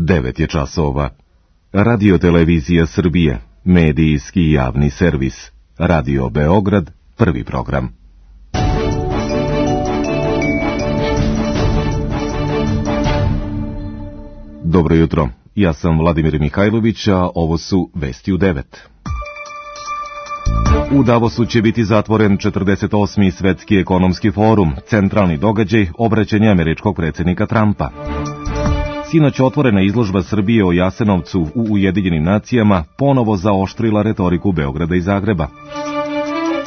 9 je časova. Radio Televizija Srbije, medijski javni servis. Radio Beograd, prvi program. Dobro jutro, ja sam Vladimir Mihajlović, a ovo su Vesti u 9. U Davosu će biti zatvoren 48. Svetski ekonomski forum, centralni događaj obraćanja američkog predsjednika Trumpa. Sinoć otvorena izložba Srbije o Jasenovcu u Ujedinjenim nacijama ponovo zaoštrila retoriku Beograda i Zagreba.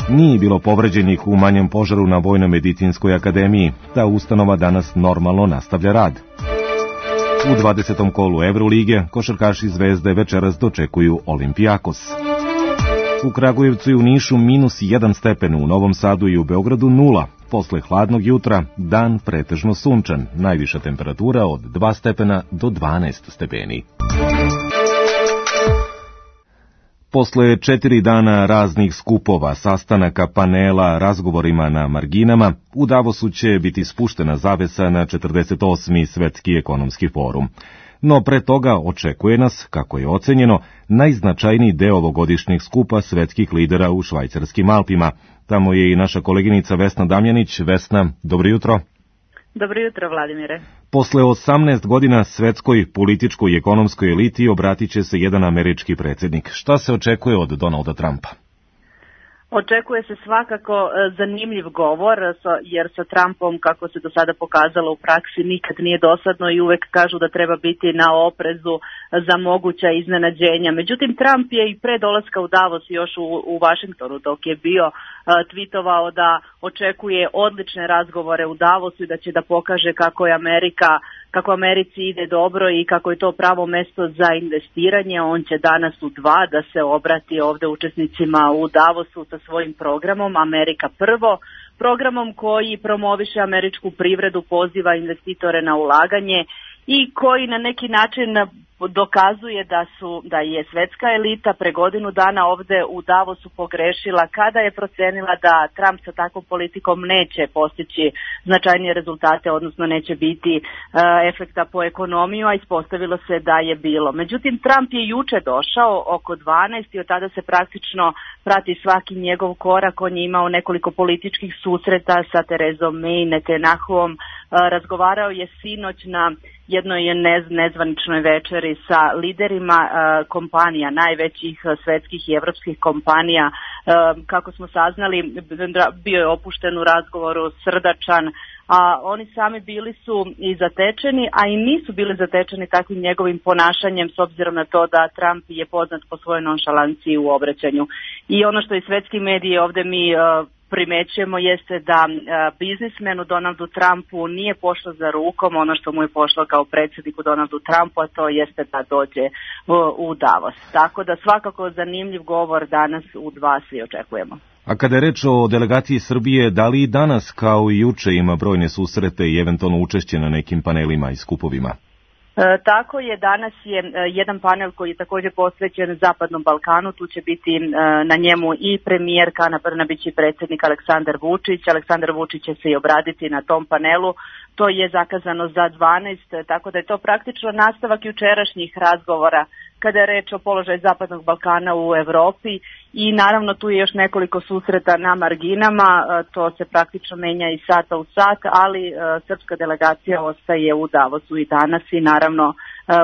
Nije bilo povređenih u manjem požaru na Vojno-medicinskoj akademiji, ta ustanova danas normalno nastavlja rad. U 20. kolu Evrolige košarkaši Zvezde večeras dočekuju Olimpijakos. U Kragujevcu i u Nišu -1 stepen, u Novom Sadu i u Beogradu 0. Posle hladnog jutra dan pretežno sunčan, najviša temperatura od 2 stepena do 12 stepeni. Posle 4 dana raznih skupova, sastanaka, panela, razgovorima na marginama, u Davosu će biti spuštena zavesa na 48. Svetski ekonomski forum. No pre toga očekuje nas, kako je ocenjeno, najznačajniji deo ovogodišnjeg skupa svetskih lidera u švajcarskim Alpima. Tamo je i naša koleginica Vesna Damjanić. Vesna, dobro jutro. Dobro jutro, Vladimire. Posle 18 godina svetskoj političkoj i ekonomskoj eliti obratit će se jedan američki predsjednik. Šta se očekuje od Donalda Trumpa? Očekuje se svakako zanimljiv govor, jer sa Trumpom, kako se do sada pokazalo u praksi, nikad nije dosadno i uvek kažu da treba biti na oprezu za moguća iznenađenja. Međutim, Trump je i pre dolaska u Davos još u Vašingtonu, dok je bio tvitovao da očekuje odlične razgovore u Davosu i da će da pokaže kako Americi ide dobro i kako je to pravo mesto za investiranje. On će danas u 2 da se obrati ovde učesnicima u Davosu sa svojim programom Amerika prvo, programom koji promoviše američku privredu, poziva investitore na ulaganje i koji na neki način dokazuje da je svetska elita pre godinu dana ovde u Davosu pogrešila kada je procenila da Trump sa takvom politikom neće postići značajnije rezultate, odnosno neće biti efekta po ekonomiju, a ispostavilo se da je bilo. Međutim, Trump je juče došao oko 12 i od tada se praktično prati svaki njegov korak. On je imao nekoliko političkih susreta sa Terezom May, Netanyahuom, razgovarao je sinoć na jednoj nezvaničnoj večeri sa liderima kompanija, najvećih svetskih i evropskih kompanija. Kako smo saznali, bio je opušten u razgovoru, srdačan, a oni sami bili su i zatečeni, a i nisu bili zatečeni takvim njegovim ponašanjem, s obzirom na to da Trump je poznat po svojoj nonšalanciji u obraćanju. I ono što i svetski mediji ovde mi primećujemo jeste da biznismenu Donaldu Trumpu nije pošlo za rukom ono što mu je pošlo kao predsjedniku Donaldu Trumpu, a to jeste da dođe u Davos. Tako da svakako zanimljiv govor danas u 2 svi očekujemo. A kada je reč o delegaciji Srbije, da li i danas kao i juče ima brojne susrete i eventualno učešće na nekim panelima i skupovima? Tako je, danas je jedan panel koji je također posvećen Zapadnom Balkanu, tu će biti na njemu i premijerka Ana Brnabić i predsjednik Aleksandar Vučić. Aleksandar Vučić će se i obraditi na tom panelu, to je zakazano za 12, tako da je to praktično nastavak jučerašnjih razgovora kada je reč o položaju Zapadnog Balkana u Evropi i naravno tu je još nekoliko susreta na marginama, to se praktično menja iz sata u sat, ali srpska delegacija ostaje u Davosu i danas i naravno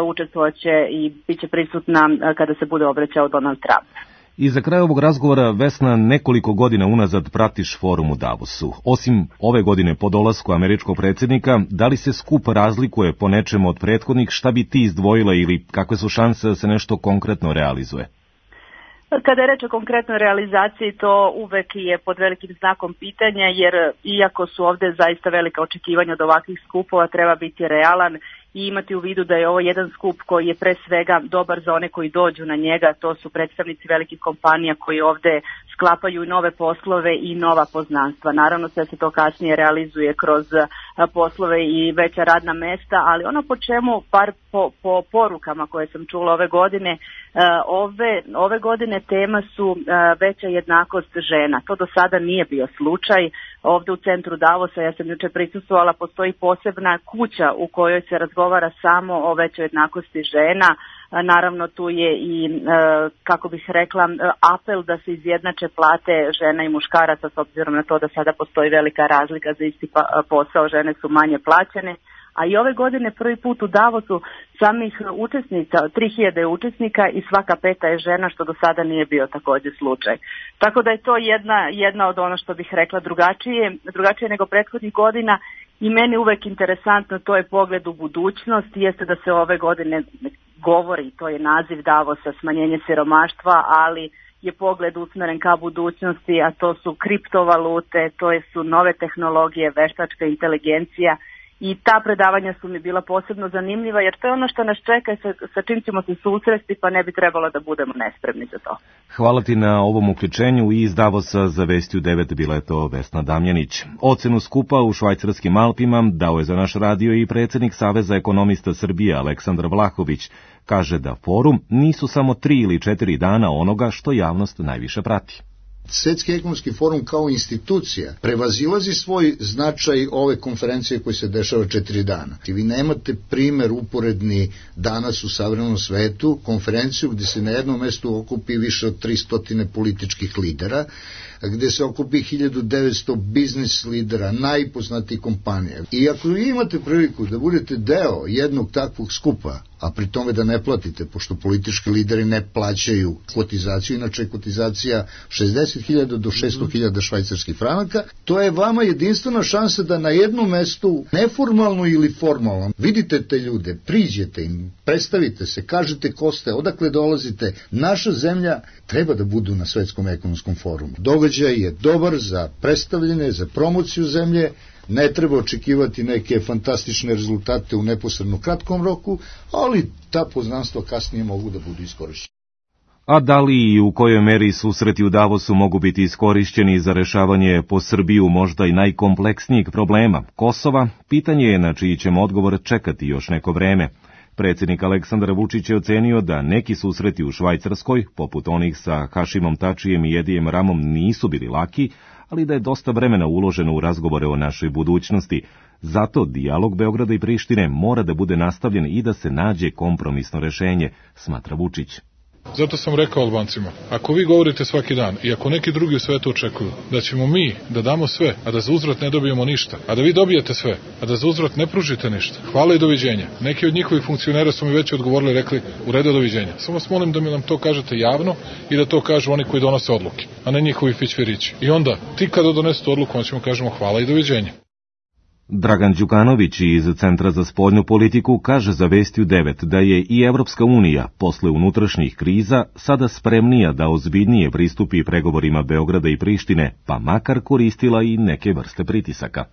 učestvovaće i bit će prisutna kada se bude obraćao Donald Trump. I za kraj ovog razgovora, Vesna, nekoliko godina unazad pratiš forum u Davosu. Osim ove godine po dolasku američkog predsjednika, da li se skup razlikuje po nečemu od prethodnih, šta bi ti izdvojila ili kakve su šanse da se nešto konkretno realizuje? Kada je reč o konkretnoj realizaciji, to uvek je pod velikim znakom pitanja, jer iako su ovde zaista velika očekivanja od ovakvih skupova, treba biti realan i imati u vidu da je ovo jedan skup koji je pre svega dobar za one koji dođu na njega, to su predstavnici velikih kompanija koji ovde sklapaju nove poslove i nova poznanstva. Naravno sve se to kasnije realizuje kroz poslove i veća radna mesta, ali ono po čemu, par po porukama koje sam čula ove godine, ove godine tema su veća jednakost žena. To do sada nije bio slučaj. ovde u centru Davosa, ja sam juče prisustvovala, postoji posebna kuća u kojoj se razgovara samo o većoj jednakosti žena. Naravno tu je i, kako bih rekla, apel da se izjednače plate žena i muškaraca, s obzirom na to da sada postoji velika razlika za isti posao, žene su manje plaćene. A i ove godine prvi put u Davosu samih učesnica, 3000 učesnika i svaka peta je žena, što do sada nije bio također slučaj. Tako da je to jedna od ono što bih rekla drugačije nego prethodnih godina i meni uvek interesantno, to je pogled u budućnost, jeste da se ove godine govori, to je naziv Davosa, smanjenje siromaštva, ali je pogled usmeren ka budućnosti, a to su kriptovalute, to su nove tehnologije, veštačka inteligencija. I ta predavanja su mi bila posebno zanimljiva, jer to je ono što nas čeka i sa čim ćemo se susresti, pa ne bi trebalo da budemo nespremni za to. Hvala ti na ovom uključenju i iz Davosa za Vestiju 9 bila je to Vesna Damjanić. Ocenu skupa u švajcarskim Alpima dao je za naš radio i predsjednik Saveza ekonomista Srbije Aleksandar Vlahović. Kaže da forum nisu samo 3 ili 4 dana onoga što javnost najviše prati. Svetski ekonomski forum kao institucija prevazilazi svoj značaj ove konferencije koja se dešava 4 dana. Vi nemate primer uporedni danas u savremenom svetu, konferenciju gdje se na jednom mestu okupi više od 300 političkih lidera, gdje se okupi 1900 biznis lidera, najpoznatijih kompanija. I ako vi imate priliku da budete deo jednog takvog skupa, a pri tome da ne platite, pošto politički lideri ne plaćaju kotizaciju, inače je kotizacija 60.000 do 600.000 švajcarskih franaka, to je vama jedinstvena šansa da na jednom mestu, neformalno ili formalno, vidite te ljude, priđete im, predstavite se, kažete ko ste, odakle dolazite. Naša zemlja treba da budu na Svetskom ekonomskom forumu. Događaj je dobar za predstavljanje, za promociju zemlje, ne treba očekivati neke fantastične rezultate u neposredno kratkom roku, ali ta poznanstva kasnije mogu da budu iskorišćena. A da li i u kojoj meri susreti u Davosu mogu biti iskorišćeni za rešavanje po Srbiju možda i najkompleksnijeg problema, Kosova, pitanje je na čiji ćemo odgovor čekati još neko vreme. Predsjednik Aleksandar Vučić je ocenio da neki susreti u Švajcarskoj, poput onih sa Hašimom Tačijem i Edijem Ramom, nisu bili laki, ali da je dosta vremena uloženo u razgovore o našoj budućnosti. Zato dijalog Beograda i Prištine mora da bude nastavljen i da se nađe kompromisno rešenje, smatra Vučić. Zato sam rekao Albancima, ako vi govorite svaki dan i ako neki drugi u svetu očekuju da ćemo mi da damo sve, a da za uzvrat ne dobijemo ništa, a da vi dobijete sve, a da za uzvrat ne pružite ništa, hvala i doviđenja. Neki od njihovih funkcionera su mi već odgovorili i rekli u redu, doviđenja. Samo vas molim da mi nam to kažete javno i da to kažu oni koji donose odluke, a ne njihovi fićferići. I onda, ti kada donesete odluku, on ćemo kažemo hvala i doviđenja. Dragan Đukanović iz Centra za spoljnu politiku kaže za Vestiju 9 da je i Evropska unija posle unutrašnjih kriza sada spremnija da ozbiljnije pristupi pregovorima Beograda i Prištine, pa makar koristila i neke vrste pritisaka.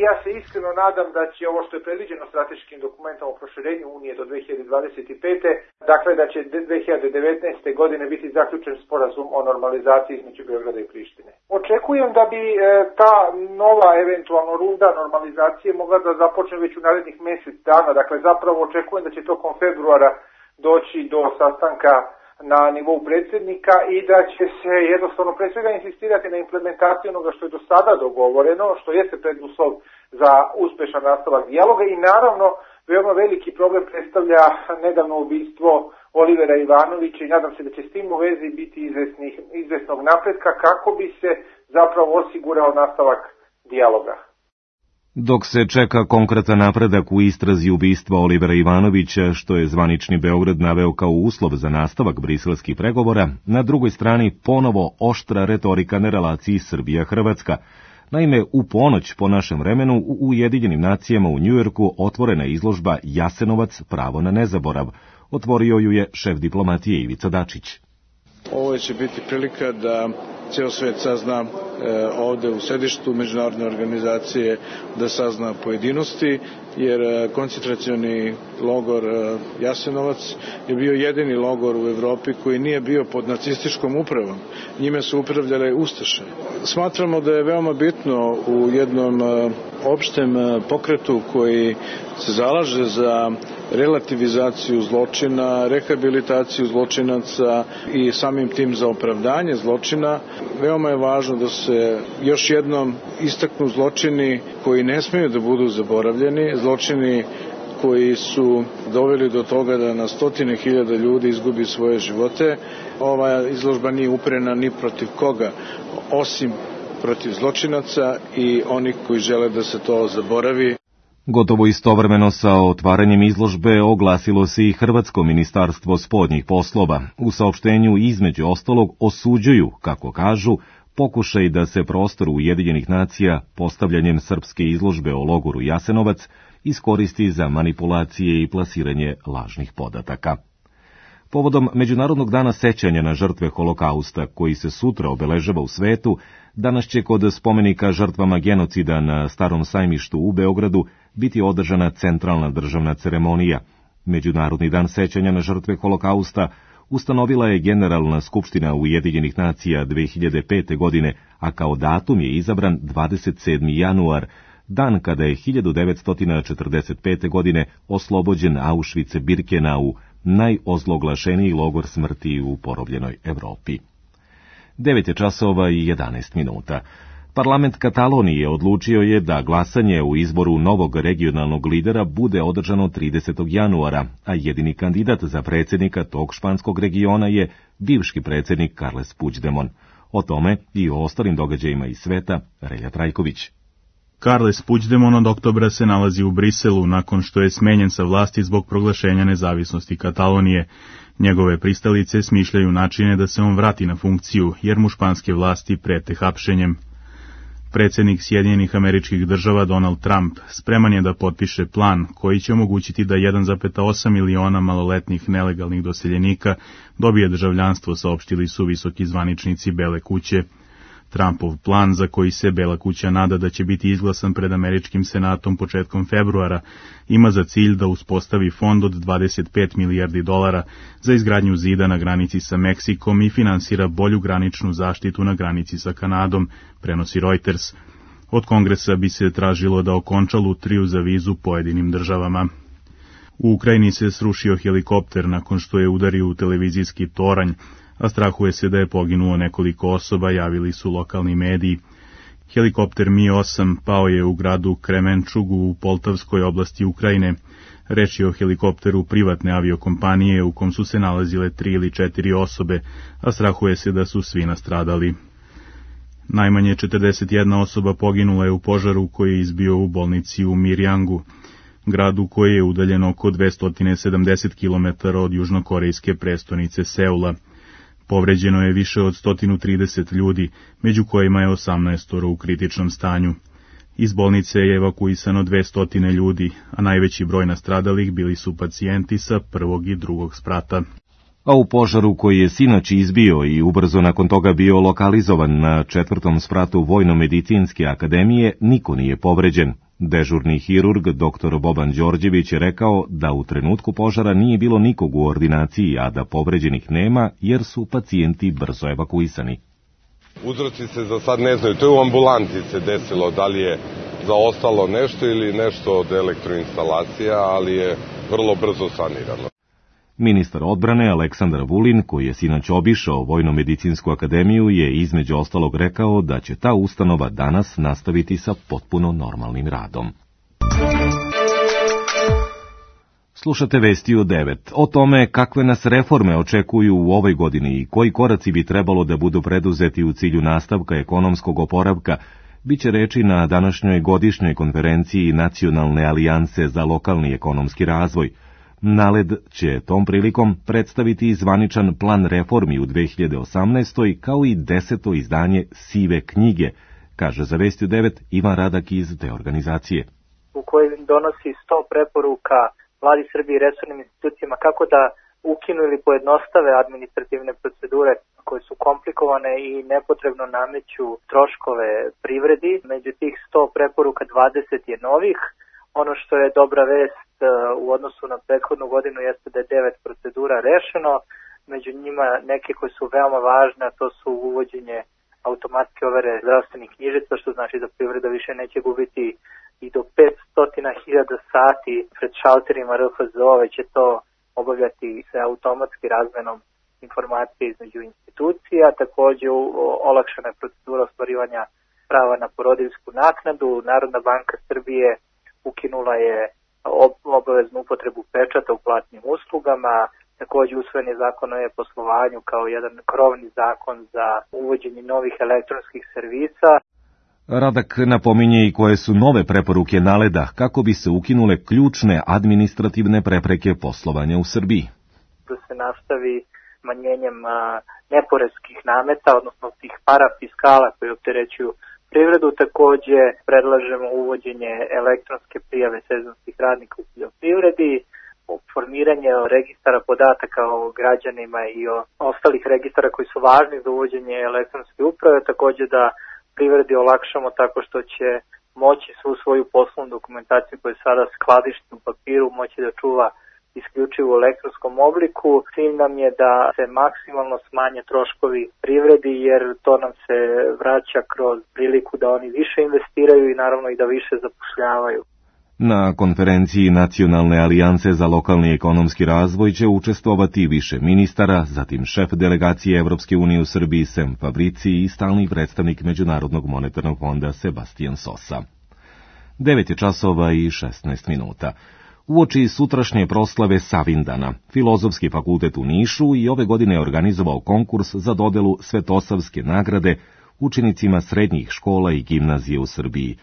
Ja se iskreno nadam da će ovo što je predviđeno strateškim dokumentom o proširenju Unije do 2025. Dakle da će 2019. godine biti zaključen sporazum o normalizaciji između Beograda i Prištine. Očekujem da bi ta nova eventualno runda normalizacije mogla da započne već u narednih mjesec dana. Dakle zapravo očekujem da će tokom februara doći do sastanka na nivou predsjednika i da će se jednostavno pre svega insistirati na implementaciju onoga što je do sada dogovoreno, što jeste preduslov za uspešan nastavak dijaloga i naravno veoma veliki problem predstavlja nedavno ubistvo Olivera Ivanovića i nadam se da će s tim u vezi biti izvesnog napretka kako bi se zapravo osigurao nastavak dijaloga. Dok se čeka konkretan napredak u istrazi ubistva Olivera Ivanovića, što je zvanični Beograd naveo kao uslov za nastavak briselskih pregovora, na drugoj strani ponovo oštra retorika na relaciji Srbija-Hrvatska. Naime, u ponoć po našem vremenu u Ujedinjenim nacijama u Njujorku otvorena je izložba Jasenovac, pravo na nezaborav. Otvorio ju je šef diplomatije Ivica Dačić. Ovo će biti prilika da ceo svet sazna ovde u sedištu međunarodne organizacije, da sazna pojedinosti, jer koncentracioni logor Jasenovac je bio jedini logor u Evropi koji nije bio pod nacističkom upravom. Njime su upravljale ustaše. Smatramo da je veoma bitno u jednom opštem pokretu koji se zalaže za relativizaciju zločina, rehabilitaciju zločinaca i samim tim za opravdanje zločina, Veoma je važno da se još jednom istaknu zločini koji ne smeju da budu zaboravljeni, zločini koji su doveli do toga da na stotine hiljada ljudi izgubi svoje živote. Ova izložba nije uperena ni protiv koga, osim protiv zločinaca i onih koji žele da se to zaboravi. Gotovo istovremeno sa otvaranjem izložbe oglasilo se i Hrvatsko ministarstvo spoljnih poslova. U saopštenju između ostalog osuđuju, kako kažu, pokušaj da se prostor Ujedinjenih nacija postavljanjem srpske izložbe o logoru Jasenovac iskoristi za manipulacije i plasiranje lažnih podataka. Povodom Međunarodnog dana sećanja na žrtve Holokausta, koji se sutra obeležava u svetu, danas će kod spomenika žrtvama genocida na Starom sajmištu u Beogradu biti održana centralna državna ceremonija. Međunarodni dan sećanja na žrtve Holokausta ustanovila je Generalna skupština Ujedinjenih nacija 2005. godine, a kao datum je izabran 27. januar, dan kada je 1945. godine oslobođen Auschwitz-Birkenau, najozloglašeniji logor smrti u porobljenoj Evropi. 9:11. Parlament Katalonije odlučio je da glasanje u izboru novog regionalnog lidera bude održano 30. januara, a jedini kandidat za predsjednika tog španskog regiona je bivši predsjednik Carles Puigdemont. O tome i o ostalim događajima iz sveta Relja Trajković. Carles Puigdemont od oktobra se nalazi u Briselu nakon što je smenjen sa vlasti zbog proglašenja nezavisnosti Katalonije. Njegove pristalice smišljaju načine da se on vrati na funkciju, jer mu španske vlasti prete hapšenjem. Predsjednik Sjedinjenih Američkih Država Donald Trump spreman je da potpiše plan koji će omogućiti da 1,8 miliona maloletnih nelegalnih doseljenika dobije državljanstvo, saopštili su visoki zvaničnici Bele kuće. Trumpov plan, za koji se Bela kuća nada da će biti izglasan pred američkim senatom početkom februara, ima za cilj da uspostavi fond od 25 milijardi dolara za izgradnju zida na granici sa Meksikom i finansira bolju graničnu zaštitu na granici sa Kanadom, prenosi Reuters. Od Kongresa bi se tražilo da okonča lutriju za vizu pojedinim državama. U Ukrajini se srušio helikopter nakon što je udario u televizijski toranj, a strahuje se da je poginulo nekoliko osoba, javili su lokalni mediji. Helikopter Mi-8 pao je u gradu Kremenčugu u Poltavskoj oblasti Ukrajine. Reč je o helikopteru privatne aviokompanije u kom su se nalazile 3 ili 4 osobe, a strahuje se da su svi nastradali. Najmanje 41 osoba poginula je u požaru koji je izbio u bolnici u Mirjangu, gradu koji je udaljen oko 270 km od južnokorejske prestonice Seula. Povređeno je više od 130 ljudi, među kojima je 18 u kritičnom stanju. Iz bolnice je evakuisano 200 ljudi, a najveći broj nastradalih bili su pacijenti sa prvog i drugog sprata. A u požaru koji je sinoć izbio i ubrzo nakon toga bio lokalizovan na 4. spratu Vojno-medicinske akademije, niko nije povređen. Dežurni hirurg dr. Boban Đorđević je rekao da u trenutku požara nije bilo nikog u ordinaciji, a da povređenih nema jer su pacijenti brzo evakuisani. Uzroci se za sad ne znaju, to je u ambulanti se desilo, da li je zaostalo nešto ili nešto od elektroinstalacija, ali je vrlo brzo sanirano. Ministar odbrane Aleksandar Vulin, koji je sinoć obišao Vojno-medicinsku akademiju, je između ostalog rekao da će ta ustanova danas nastaviti sa potpuno normalnim radom. Slušate vesti u 9. O tome kakve nas reforme očekuju u ovoj godini i koji koraci bi trebalo da budu preduzeti u cilju nastavka ekonomskog oporavka, biće reči na današnjoj godišnjoj konferenciji Nacionalne alijanse za lokalni ekonomski razvoj. NALED će tom prilikom predstaviti zvaničan plan reformi u 2018. kao i 10. izdanje Sive knjige, kaže za Vesti u 9 Ivan Radak iz te organizacije. U kojoj donosi 100 preporuka Vladi Srbije i resornim institucijama kako da ukinu ili pojednostave administrativne procedure koje su komplikovane i nepotrebno nameću troškove privredi. Među tih 100 preporuka 20 je novih. Ono što je dobra vest u odnosu na prethodnu godinu jeste da je 9 procedura rešeno, među njima neke koje su veoma važne, a to su uvođenje automatske overe zdravstvenih knjižica, što znači da privreda više neće gubiti i do 500.000 sati pred šalterima RFZO, već će to obavljati se automatski razmenom informacije između institucija, takođe olakšana je procedura ostvarivanja prava na porodiljsku naknadu. Narodna banka Srbije ukinula je obaveznu upotrebu pečata u platnim uslugama, takođe usvojen je zakon o e-poslovanju kao jedan krovni zakon za uvođenje novih elektronskih servisa. Radak napominje i koje su nove preporuke NALED-a kako bi se ukinule ključne administrativne prepreke poslovanja u Srbiji. Da se nastavi smanjenjem neporeskih nameta, odnosno tih parafiskala koji opterećuju privredu. Takođe predlažemo uvođenje elektronske prijave sezonskih radnika u poljoprivredi, formiranje registara podataka o građanima i o ostalih registara koji su važni za uvođenje elektronske uprave, takođe da privredi olakšamo tako što će moći svu svoju poslovnu dokumentaciju koju sada skladišti u papiru moći da čuva isključivo u elektronskom obliku. Cilj nam je da se maksimalno smanje troškovi privredi jer to nam se vraća kroz priliku da oni više investiraju i naravno i da više zapošljavaju. Na konferenciji Nacionalne alijance za lokalni ekonomski razvoj će učestvovati više ministara, zatim šef delegacije Evropske unije u Srbiji Sem Fabrici i stalni predstavnik Međunarodnog monetarnog fonda Sebastian Sosa. 9:16. Uoči sutrašnje proslave Savindana, Filozofski fakultet u Nišu i ove godine je organizovao konkurs za dodelu Svetosavske nagrade učenicima srednjih škola i gimnazije u Srbiji.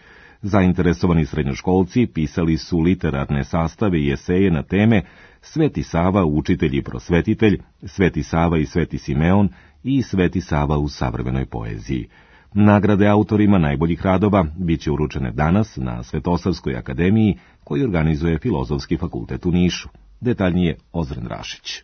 Zainteresovani srednjoškolci pisali su literarne sastave i eseje na teme Sveti Sava, učitelj i prosvetitelj, Sveti Sava i Sveti Simeon i Sveti Sava u savremenoj poeziji. Nagrade autorima najboljih radova biće uručene danas na Svetosavskoj akademiji koju organizuje Filozofski fakultet u Nišu. Detaljnije Ozren Rašić.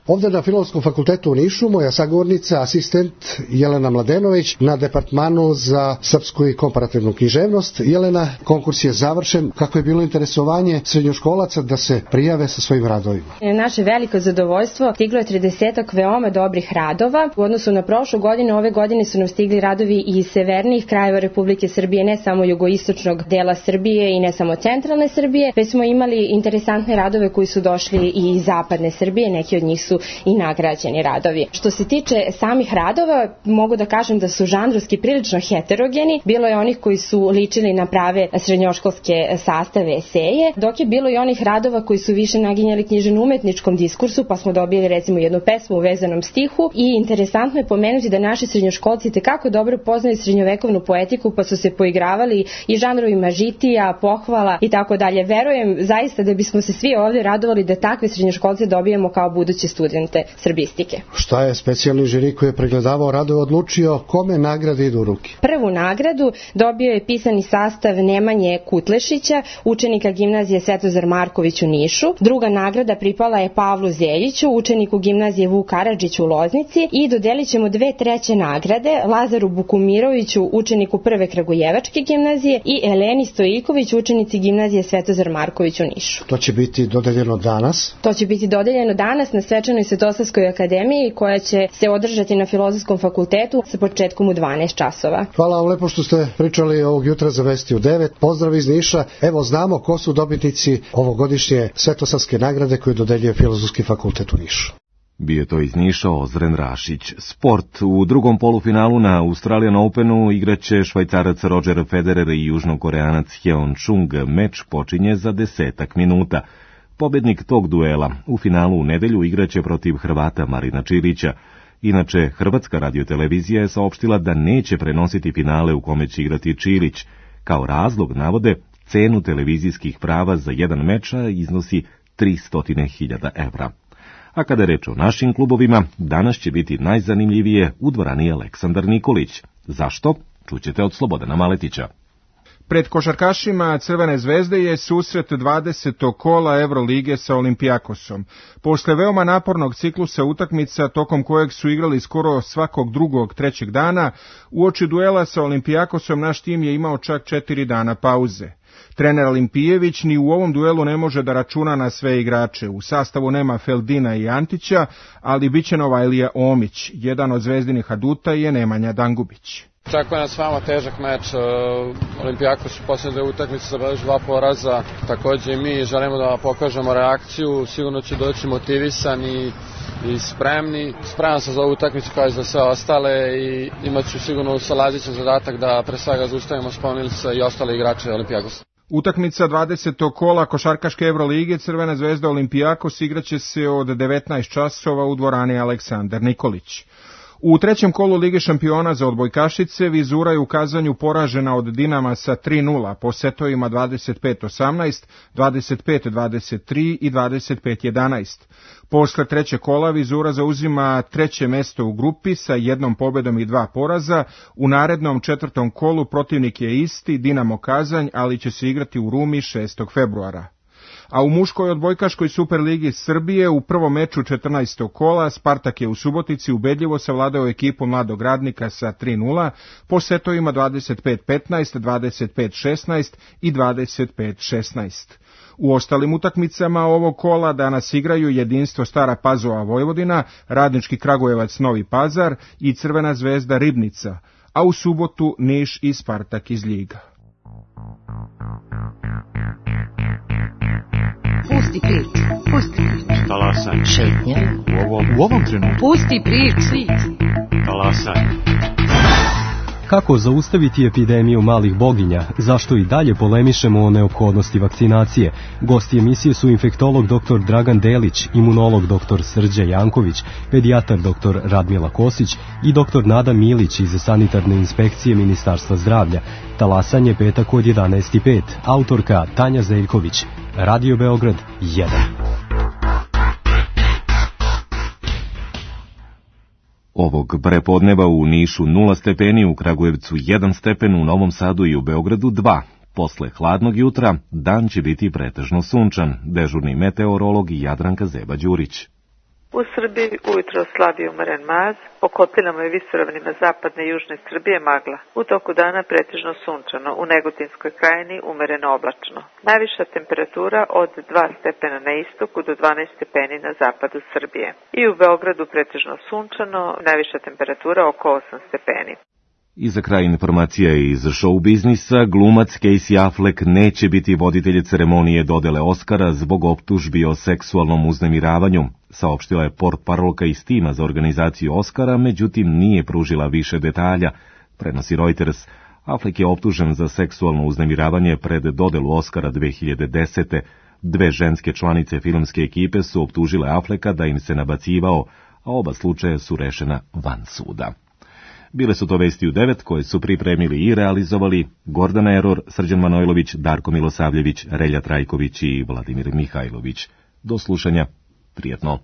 Ovdje na Filozofskom fakultetu u Nišu moja sagovornica, asistent Jelena Mladenović na departmanu za srpsku i komparativnu književnost. Jelena, konkurs je završen. Kako je bilo interesovanje srednjoškolaca da se prijave sa svojim radovima? Naše veliko zadovoljstvo, stiglo je 30 veoma dobrih radova. U odnosu na prošlu godinu, ove godine su nam stigli radovi iz severnijih krajeva Republike Srbije, ne samo jugoistočnog dela Srbije i ne samo centralne Srbije, već smo imali interesantne radove koji su došli i iz zapadne Srbije, neki od njih su i nagrađeni radovi. Što se tiče samih radova, mogu da kažem da su žanrovski prilično heterogeni. Bilo je onih koji su ličili na prave srednjoškolske sastave eseje, dok je bilo i onih radova koji su više naginjali književno-umetničkom diskursu, pa smo dobili recimo jednu pesmu u vezanom stihu i interesantno je pomenuti da naši srednjoškolci tekako dobro poznaju srednjovekovnu poetiku, pa su se poigravali i žanrovima žitija, pohvala i tako dalje. Verujem zaista da bismo se svi ovdje radovali da takve srednjoškolce dobijemo kao buduće studente srbistike. Šta je specijalni žiri koji je pregledavao radove odlučio kome nagrade idu u ruke? Prvu nagradu dobio je pisani sastav Nemanje Kutlešića, učenika gimnazije Svetozar Marković u Nišu. Druga nagrada pripala je Pavlu Zeljiću, učeniku gimnazije Vuk Karadžić u Loznici i dodelit ćemo 2/3 nagrade Lazaru Bukumiroviću, učeniku Prve Kragujevačke gimnazije i Eleni Stojiković, učenici gimnazije Svetozar Marković u Nišu. To će biti dodeljeno danas? To će biti dodeljeno danas na svečanoj Svetosavskoj akademiji koja će se održati na Filozofskom fakultetu sa početkom u 12 časova. Hvala vam lepo što ste pričali ovog jutra za Vesti u 9. Pozdrav iz Niša. Evo znamo ko su dobitnici ovogodišnje Svetosavske nagrade koju dodeljuje Filozofski fakultet u Nišu. Bio to iz Niša Ozren Rašić. Sport. U drugom polufinalu na Australian Openu igraće Švajcarac Roger Federer i Južnokoreanac Hyeon Chung. Meč počinje za 10 minuta. Pobednik tog duela u finalu u nedelju igraće protiv Hrvata Marina Čilića. Inače, Hrvatska radiotelevizija je saopštila da neće prenositi finale u kome će igrati Čilić. Kao razlog navode cenu televizijskih prava za jedan meč iznosi 300.000 evra. A kada je reč o našim klubovima, danas će biti najzanimljivije u dvorani Aleksandar Nikolić. Zašto? Čućete od Slobodana Maletića. Pred košarkašima Crvene zvezde je susret 20. kola Evrolige sa Olimpijakosom. Posle veoma napornog ciklusa utakmica, tokom kojeg su igrali skoro svakog drugog, trećeg dana, uoči duela sa Olimpijakosom naš tim je imao čak 4 dana pauze. Trener Olimpijević ni u ovom duelu ne može da računa na sve igrače. U sastavu nema Feldina i Antića, ali bit će nova Elija Omić. Jedan od zvezdinih aduta je Nemanja Dangubić. Očekuje nas veoma težak meč. Olimpijakos u posljednje utakmice zabeležio 2 poraza. Također i mi želimo da pokažemo reakciju. Sigurno će doći motivisan i spremni. Spreman sam za ovu utakmicu kao i za sve ostale i imat ću sigurno sa Lazićem zadatak da pre svega zaustavimo Sponilca i ostale igrače Olimpijakosa. Utakmica 20. kola košarkaške Evrolige Crvena zvezda Olimpijakos igraće se od 19 časova u dvorani Aleksandar Nikolić. U trećem kolu Lige šampiona za odbojkašice Vizura je u Kazanju poražena od Dinama sa 3:0 po setovima 25-18, 25-23 i 25-11. Posle trećeg kola Vizura zauzima treće mesto u grupi sa jednom pobedom i 2 poraza. U narednom četvrtom kolu protivnik je isti, Dinamo Kazanj, ali će se igrati u Rumi 6. februara. A u muškoj odbojkaškoj Superligi Srbije u prvom meču 14. kola Spartak je u Subotici ubedljivo savladao ekipu Mladog Radnika sa 3:0 po setovima 25-15, 25-16 i 25-16. U ostalim utakmicama ovog kola danas igraju Jedinstvo Stara Pazova Vojvodina, Radnički Kragujevac Novi Pazar i Crvena zvezda Ribnica, a u subotu Niš i Spartak iz Ljiga. Pusti prič. Talasaj. Šetnja. U ovom trenutku. Pusti prič. Talasaj. Kako zaustaviti epidemiju malih boginja? Zašto i dalje polemišemo o neophodnosti vakcinacije? Gosti emisije su infektolog dr. Dragan Delić, imunolog dr. Srđa Janković, pedijatar dr. Radmila Kosić i dr. Nada Milić iz Sanitarne inspekcije Ministarstva zdravlja. Talasanje petak od 11:05. Autorka Tanja Zeljković. Radio Beograd 1. Ovog prepodneva u Nišu 0 stepeni, u Kragujevcu 1 stepen, u Novom Sadu i u Beogradu 2. Posle hladnog jutra dan će biti pretežno sunčan, dežurni meteorolog Jadranka Zeba-Đurić. U Srbiji ujutro slabi umeren maz, po kotlinama i visoravnima zapadne i južne Srbije magla. U toku dana pretežno sunčano, u Negotinskoj krajini umereno oblačno. Najviša temperatura od 2 stepena na istoku do 12 stepeni na zapadu Srbije. I u Beogradu pretežno sunčano, najviša temperatura oko 8 stepeni. I za kraj informacija iz show biznisa, glumac Casey Affleck neće biti voditelj ceremonije dodele Oscara zbog optužbi o seksualnom uznemiravanju, saopštila je portparolka iz tima za organizaciju Oscara, međutim nije pružila više detalja, prenosi Reuters. Affleck je optužen za seksualno uznemiravanje pred dodelu Oscara 2010. 2 ženske članice filmske ekipe su optužile Afflecka da im se nabacivao, a oba slučaja su rešena van suda. Bile su to vesti u 9 koje su pripremili i realizovali Gordana Eror, Srđan Manojlović, Darko Milosavljević, Relja Trajković i Vladimir Mihajlović. Do slušanja, prijetno.